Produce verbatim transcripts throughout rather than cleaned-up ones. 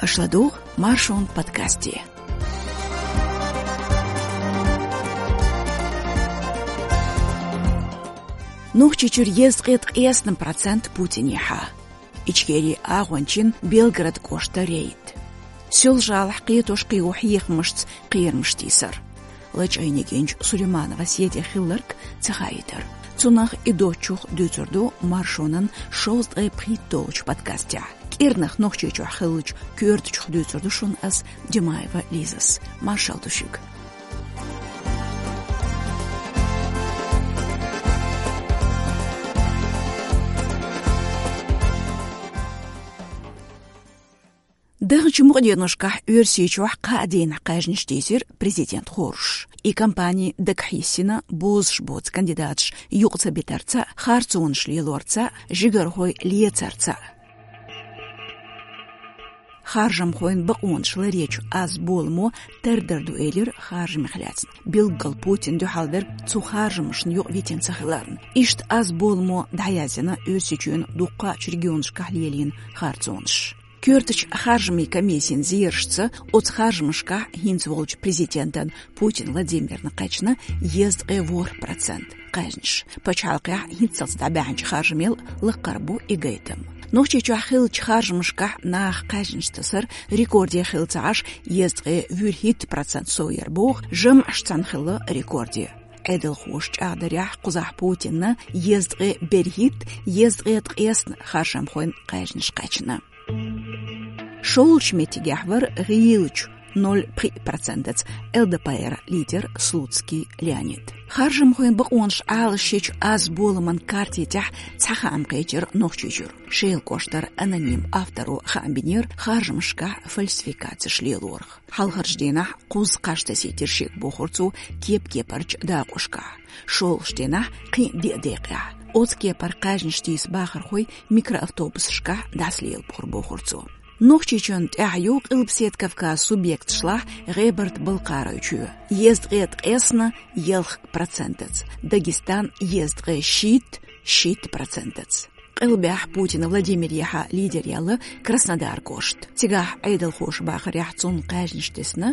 Аша ладугӀу Маршон подкасте. Нохчийчуьра езткъе ткъаесна процент Путинехьа. Ичкерин агӀончийн Белгород кӀоштара рейд. Соьлжа-ГӀалахь кхетош-кхио хьехамашца кхерамаш тийсар. Лачкъайнегенчу Сулейманова Седе хилларг ца хаийтар. Цунах а доцчух дуьйцур ду Маршонан шовзткъе пхийтталгӀачу подкастехь. КӀирнах Нохчийчохь хиллачу коьртачух дуьйцур ду шуна ас, Димаева Лизас. Маршалла ду шуьга. Даханчу мукъа деношкахь Оьрсийчохь кхаа дийнахь кхаьжнаш тийсира президент хоржуш. И кампани дагахь йисина бозуш боцу кандидаташ юкъа ца битарца, харцонаш лелорца, жигархой лецарца. Харжамхойн бакъонаш ларъечу аз боламо тардар ду элира харжамех лаьцна. Билггал Путинна дуьхьал верг цу харжамашна юкъа витина ца хиларна. Иштта аз боламо дӀаязйина Оьрсийчоьнан дуккхачу регионашкахь лелийна харцонаш. Коьртачу харжамийн комиссин зерашца, оцу харжамашкахь хӀинца волчу президентан Путин Владимирна кхаьчна езткъе ворхӀ процент кхаьжнаш. Пачхьалкхехь хӀинццалц дӀабаьхьначу харжамел лакхара бу и гайтам. Нохчийчохь хиллачу харжамашкахь наха кхаьжнаш тасар рекорде хилла ца Ӏаш, езткъе вуьрхӀитта процент сов яр боху, жамӀаш цхьаьна хилла рекорде. Ӏедалхоша чӀагӀдарехь, кхузахь Путинна езткъе берхӀитта, езткъе ткъаесна харжамхойн кхаьжнаш кхаьчна. ШолгӀачу меттигехь вара гӀийлачу ноль пхиъ процентаца ЛДПР лидер Слуцкий Леонид. Харжамхойн бакъонаш Ӏалашъечу аз боламан карте тӀехь цхьа хаам кхечира Нохчийчуьра. Шелан кӀоштара аноним авторо хаам бинера харжамашкахь фальсификацеш лелорах. Хьалхарчу дийнахь кхузткъа кхаж тасийтира шега, бохура цо, кеп-кепарчу дакъошкахь. ШолгӀачу дийнахь кхин а диъ декъехь. Оцу кепара кхаьжнаш тийса бахархой микроавтобусашкахь дӀасалелабора, бохура цо. Нохчийчоьнна тӀаьхьа ю Къилбаседа Кавказан субъекташлахь ГӀебарта-Балкхаройчоь. Езткъе ткъаесна ялх процентаца, Дагестан езткъе шийтта, шийтта процентаца. Къилбехь Путин Владимирехьа лидер яьлла Краснодар кӀошт. Цигахь Ӏедалхоша бахарехь, цунна кхаьжнаш тесна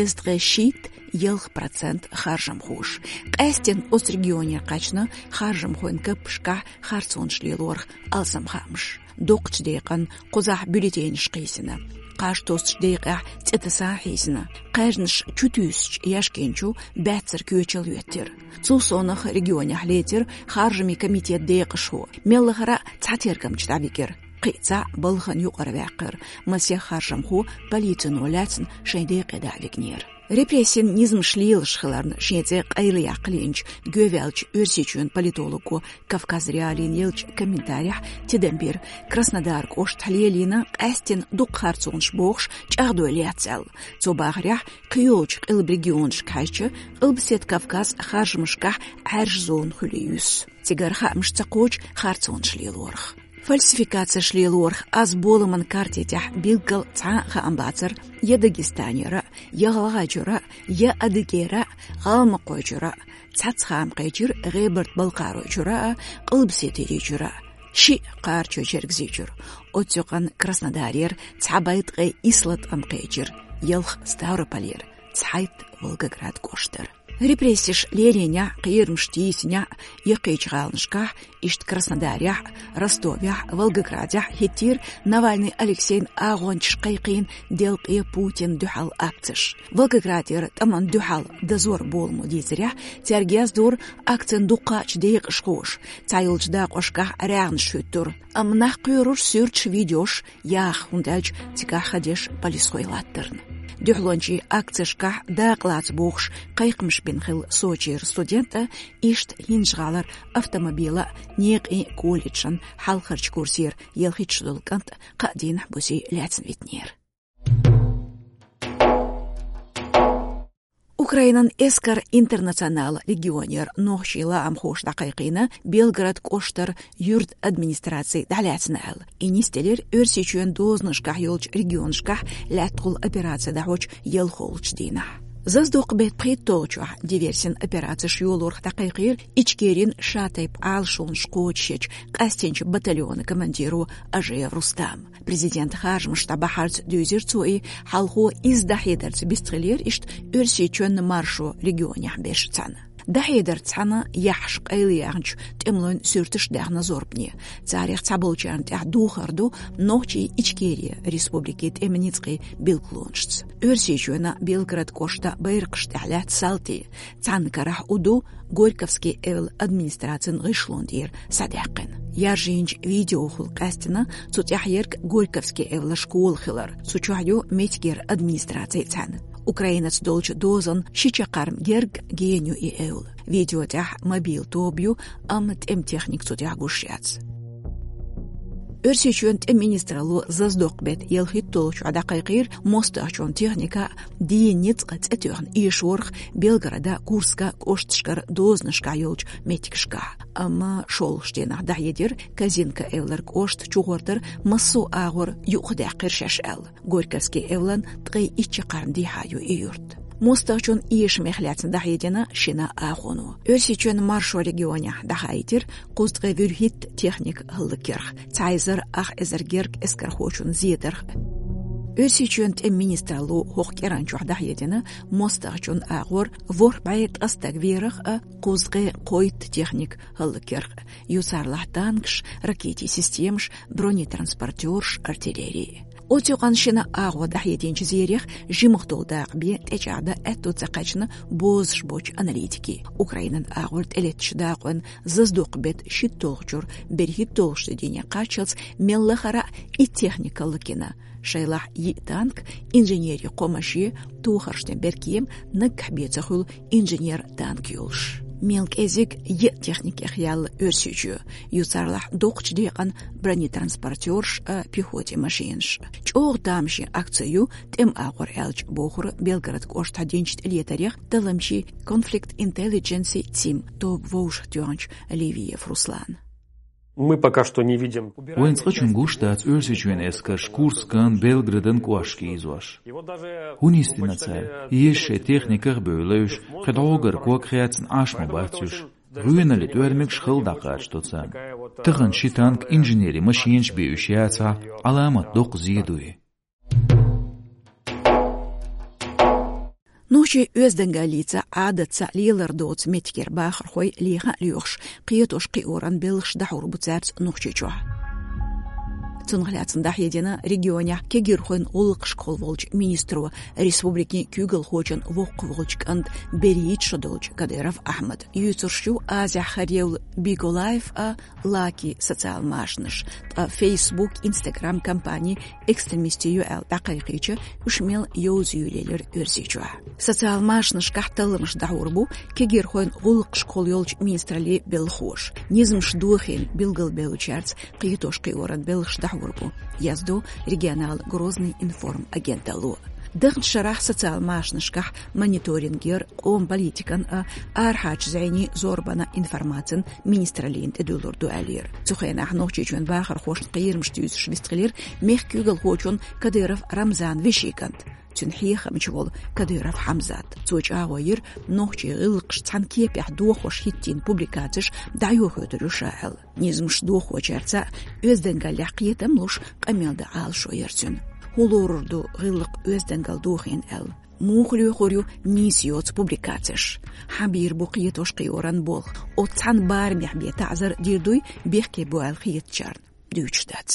езткъе шийтта, ялх процент харжамхоша. Къаьсттина оцу регионера кхаьчна харжамхойн кепашкахь харцонаш лелорах алсам хаамаш. Доккхачу декъана кхузахь бюллетенаш кхийсина. Кхаж тоссучу декъехь цӀе таса хьийсина. Кхаьжнаш чу туьйсучу яьшкенчу баьццара коьчал йоьттира. Цул совнаха регионехь лецира харжамийн комитетан декъашхо. Мел лахара а цхьа тергамча дӀавигира. Кхин а цхьаъ балхана юкъара ваьккхира. Масех харжамхо полицино лаьцна шайн декъе дӀа а вигнера. Репрессийн низамаш лелаш хиларна шен цӀе къайлаяккха лиъначу гӀеваьллачу Оьрсийчоьнан политолого Кавказ.Реалии еллачу комментарехь тидам бира, Краснодар кӀоштахь лелийна къаьсттина дукха харцонаш бохуш чӀагӀдой лаьцна аьлла. Цо бахарехь, кхийолчу къилба регионашка хьаьжча, Къилбаседа Кавказ харжамашкахь Ӏаьржа зона хуьлий юьсу. Цигара хаамаш ца кхочу харцонаш лелорах. Фальсификацеш лелорах аз боламан карте тӀехь билггал цхьа а хаам бацара я Дагестанера, я ГӀалгӀайчуьра, я Адыгейра, ГӀалмакхойчуьра. Цхьацца хаам кхечира ГӀебарта-Балкхаройчуьра а, Къилбаседерийчуьра а. Шиъ Кхарачой-Чергазийчуьра. Оццу юкъана Краснодарера цхьа бӀе ткъе исс латкъам кхечира, ялх Ставрополера, цхьайтта Волгоград кӀоштара. Репрессеш лелийнехь, кхерамаш тийсинехь, яккхийчу гӀаланашкахь, иштта Краснодарехь, Ростовехь, Волгоградехь хӀиттийра Навальный Алексейн агӀончаша кхайкхийна делкъе Путинна дуьхьал акцеш. Волгоградера тӀамна дуьхьал дозоран боламо дийцарехь, цаьрга яздора акцин дуккхачу декъашхоша, цхьайолчу дакъошкахь раьгӀанаш хӀуьттура. Амма нах кхоьрура суьрташ, видеош яха, хӀунда аьлча цигахь хан деш полисхой латтарна. Дуьхьалончийн акцешкахь дакъа лаца бохуш кхайкхамаш бина хилла Сочера студент а, иштта ХӀинжа-ГӀалара автомобилан а, некъийн а колледжан хьалхарчу курсера ялхитта шо долу кӀант а кхаа дийнахь бусий лаьцна витинера. Украинан Эскар Интернационал легионера нохчийн лаамхоша дӀакхайкхийна Белгород кӀоштара юьртан администраци дӀалаьцна аьлла. И нисделира Оьрсийчоьнан дозанашкахь йолчу регионашкахь лаьттахула операци дӀахьочу ялхолгӀачу дийнахь. Заз дукха бетта пхийттолчохь диверсин операцеш йолорх дӀакхайкхийра Ичкерин шатайпа Ӏалашонаш кхочушъечу къаьстинчу батальона командиро Ажиев Рустам. Президент харжамаш дӀабахьарца дуьйзира цо и, хьалхо изза дӀахьедарца бистхилира иштта Оьрсийчоьнан маршо регионехь берш цхьаьна. ДӀахьедарца цхьаьна яххьаш къайлаяьхначу тӀемалойн суьрташ даьхна зорбане. Царех цхьаболчарна тӀехь духар ду Нохчий, Ичкери республикийн тӀеман ницкъийн билгалонашца. Оьрсийчоьнан Белгород кӀоштан байракхаш тӀехь лаьтта салтий. Цхьана карахь у ду Горьковский эвла администрацин гӀишлон тӀера схьадаьккхина. Яржийначу видеохула къаьстина цу тӀехь ерг Горьковский эвла школа хилар. Цу чохь ю меттигера администраци цхьаьна. Украинаца долчу дозанна ши чаккхарма герга гена ю и эвла. Видео тӀехь мобил тоба ю, амма тӀеман техника цу тӀехь гуш яц. Оьрсийчоьнан тӀеман министралло заз дукха бетта ялхитталгӀачохь дӀакхайкхийра мостагӀчун техника, дийнан ницкъ цӀе тоьхна эшорх Белгородан, Курскан кӀошташкара дозанашкахь йолчу меттигашкахь. Амма шолгӀачу дийнахь дӀахьедира Козинка эвлара кӀоштан чугӀортар массо а агӀор юхадаьккхира шаьш аьлла. Горьковский эвлана ткъе итт чаккхарма дехьа ю и юрт. МостагӀчун эшамех лаьцна дӀахьедина шина агӀоно. Оьрсийчоьнан маршо регионехь дӀахаийтира кхузткъе вуьрхӀитта техника хӀаллакъярх, цхьа эзар ах эзар герга эскархочун зедарх. Оьрсийчоьнан тӀеман министралло хӀокху кӀиранчохь дӀахьедина мостагӀчун агӀор ворхӀ бӀе ткъа стаг верах а, кхузткъе кхойтта техника хӀаллакъярх а. Ю царлахь танкаш, ракетийн системаш, бронетранспортёрш, артиллери. Оцу юкъанна шина агӀор дӀахьединчу зерех жимах долу дакъа бен тӀечӀагӀдан аьтто ца кхаьчна бозуш боцчу аналитикийн. Украинан агӀор тӀелеттачу дакъойн заз дукха бетта шиттолгӀачуьра берхӀиттолгӀачу дийне кхаччалц мел лахара а итт техника хӀаллакйина. Шайлахь йиъ танк, инженерийн кхо машен, тохарш тӀе беркем, наггахь бен ца хуьлу инженер танк йолуш. Мел кӀезиг йиъ техникех яьлла Оьрсийчоь, ю царлахь доккхачу декъана бронетранспортёрш а, пехотин машенаш а. ЧӀогӀа тамашийна акци ю тӀеман агӀор аьлча, бохура Белгород кӀоштахь динчу тӀелетарех талламчийн Conflict Intelligence цим тоба вовшахтоьхначу Левиев Руслана. Мы пока что не видим. Вайн цкъачунна гуш дац Оьрсийчоьнан эскарш Курскан, Белгородан кӀошташка ийзош. ХӀун йистина цара? Еза шайн техниках а бевлла уьш, кхин дӀогара ког хецна Ӏаш ма бац уьш. ГӀоьналлин тӀоьрмигаш хала дӀакхачадо царна. Тахана ши танк, инженерийн машенаш бен уьш яцахь, Ӏаламат доккха зе дуй. Нохчийн оьздангаллица, Ӏадатца лелар доцу меттигера бахархой леха а лоьхуш, кхетош-кхиоран белхаш дӀахьур бу цаьрца Нохчийчохь. Цунах лаьцна дӀахьедина регионехь кегирхойн гӀуллакхашкахула волчу министро, республикин куьйгалхочун воккхах волчу кӀанта берхӀитта шо долчу Кадыров Ахьмада. Юьйцурш ю Азехь хар евлла Биголайф а, Лаки социал машанаш, ткъа Facebook, Instagram компани экстремистийн ю аьлла дӀакхайкхийча, уьш мел йовза юьйлаелира Оьрсийчохь. Социал машанашкахь талламаш дӀахьур бу кегирхойн гӀуллакхашкахула йолчу министраллин белхахоша. Низамаш дохийна билгалбевллачаьрца кхетош-кхиоран белхаш дӀахьур бу, яздо регионал Грозный информ агенталло. Даханчу шарахь социал машанашкахь мониторинг яр, къоман политикан а, арахьарчу зӀенийн зорбанан информацин министраллина тӀедуьллур ду аьллера. Цу хенахь Нохчийчоьнан бахархошна кхерамаш дуьйцуш вистхилира мехкан куьйгалхочун Кадыров Рамзанан вешин кӀант, цуьнан хьехамча волу Кадыров Хьамзат. Цо чӀагӀо йира нохчийн гӀиллакхаш цхьана кепехь дохош хӀиттийна публикацеш дӀайохуьйтур ю ша аьлла. Низамаш дохочаьрца оьздангаллехь кхетам луш къамел дан Ӏалашо яра цуьнан. ХӀун лорур ду гӀиллакх оьздангалла дохийна аьлла? Муха лоьхур ю нийса йоцу публикацеш? Хьан бийр бу кхетош-кхиоран болх? Оцу цхьана барамехь бен таӀзар дийр дуй бехке бу аьлла хетачарна? Дуьйцуш дац.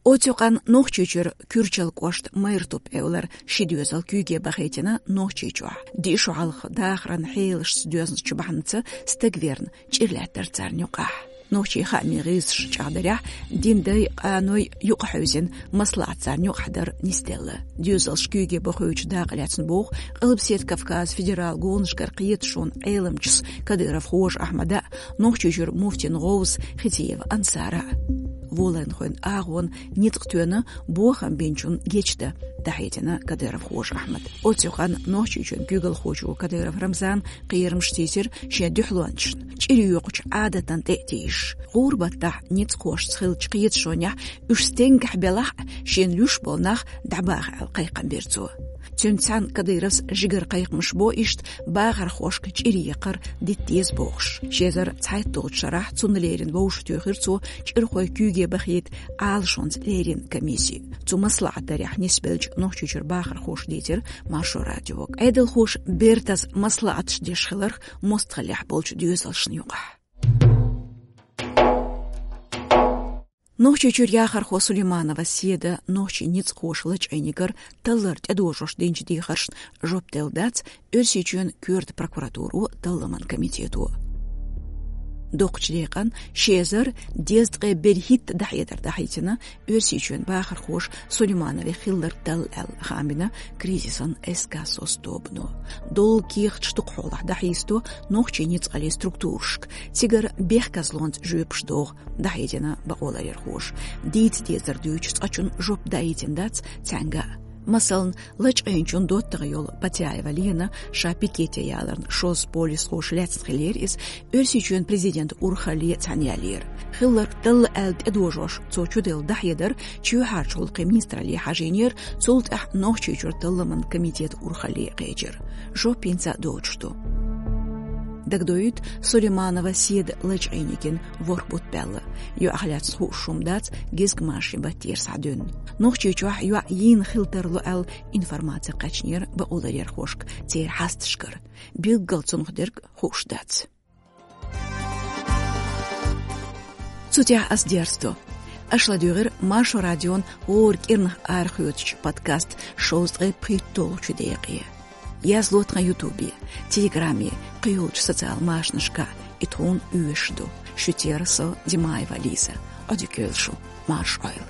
Оцу юкъанна Нохчийчуьра Куьрчал кӀоштан Майртуп эвлара ши доьзал куьйге бахийтина Нохчийчохь. Диъ шо хьалха дахаран хьелашца доьзначу бахьанца стаг верна, чӀир лаьттара царна юкъахь. Нохчийн хаамийн гӀирсаша чӀагӀдарехь, динан дай, къаной юкъахьевзина, маслаӀат царна юкъахь дар нисделла. Доьзалш куьйге бахийтинчу дакъа лаьцна боху Къилбаседа Кавказан федералан гонашкара кхеташонан Ӏеламчас Кадыров Хожа Ахьмада а, Нохчийчуьра муфтин гӀовс Хисиева Ансара а. Волайнхойн агӀон ницкъ тоьна бохам бинчун гечда, дӀахьедина кадыровхоша Ахьмада. Оццу хана Нохчийчоьн куьйгалхочо Кадыров Рамзана кхерамаш тийсира шен дуьхьалончашна, чӀир йоькъучу Ӏадатан тӀе а тийсаш. ГӀуран баттахь ницкъахошца хиллачу кхеташонехь уьш стенгахь белахь а, шена луьйш болу нах дӀабаха аьлла кхайкхам бира цо. Цуьнца цхьаьна Кадыровс жигара кхайкхамаш бо иштта бахархошка чӀир екхар дита деза бохуш. Ши эзар цхьайтталгӀачу шарахь цунна леррина вовшахтоьхира цо чӀирхойн куьйге бахийта Ӏалашонца леррина комисси. Цу маслаӀатдарехь нисбеллачу Нохчийчуьра бахархоша дийцира Маршо радиога. Ӏедалхоша бертаза маслаӀаташ деш хиларх мостагӀаллехь болчу доьзалшна юкъахь. Нохчийчуьра яхархо Сулейманова Седа нохчийн ницкъахоша лачкъийна йигар таллар тӀедожош динчу дехаршна жоп делла дац Оьрсийчоьнан коьрта прокуратуро, талламан комитето. Доккхачу декъан ши эзар дезткъе берхӀитта дӀахьедар дӀахьийцина Оьрсийчоьнан бахархоша Сулейманове хилларг талла аьлла, хаам бина кризисан эс ка сос тобано. Доллу кехаташ дукха хьолахь дӀахьийсадо нохчийн ницкъаллин структурашка, цигара бехказлонца жоьпаш догӀу, дӀахьедина бакъоларъярхоша. Дийца дезар дуьйцуш цкъачунна жоп даийтина дац цаьнга а. Масална, лачкъийначун доттагӀа йолу Патяева Лена ша пикете яларна шозза полисхоша лаьцна хиллера иза, Оьрсийчоьнан президентан урхалле цхьаьна яллера. Хилларг талла аьлла тӀедожош цо чуделла дӀахьедар Чоьхьарчу гӀуллакхийн министралле хьажийнера, цул тӀаьхьа Нохчийчуьра талламан комитетан урхалле кхечира. Жоп хӀинца а доцуш ду. Дагадоуьйту, Сулейманова Седа лачкъийна йигна ворхӀ бутт баьлла. ЙоӀах лаьцна хууш хӀума дац, гезгмашин баттера схьадуьнна. Нохчийчохь йоӀ йийна хила тарло аьлла информаци кхаьчнера бакъоларъярхошка церан хьасташкара. Билггал цунах дерг хууш дац. Цу тӀехь ас дерзадо. Аша ладуьйгӀира Маршо радион хӀора кӀирнах арахоьцучу подкаст шовзткъе пхийтталгӀачу декъе. Язло тхан ютубе, телеграме, кхийолчу социал машанашкахь, и тхуна оьшуш ду. Шуьца яра со, Димаева Лиза. Ӏодика йойла шу, марша Ӏойла.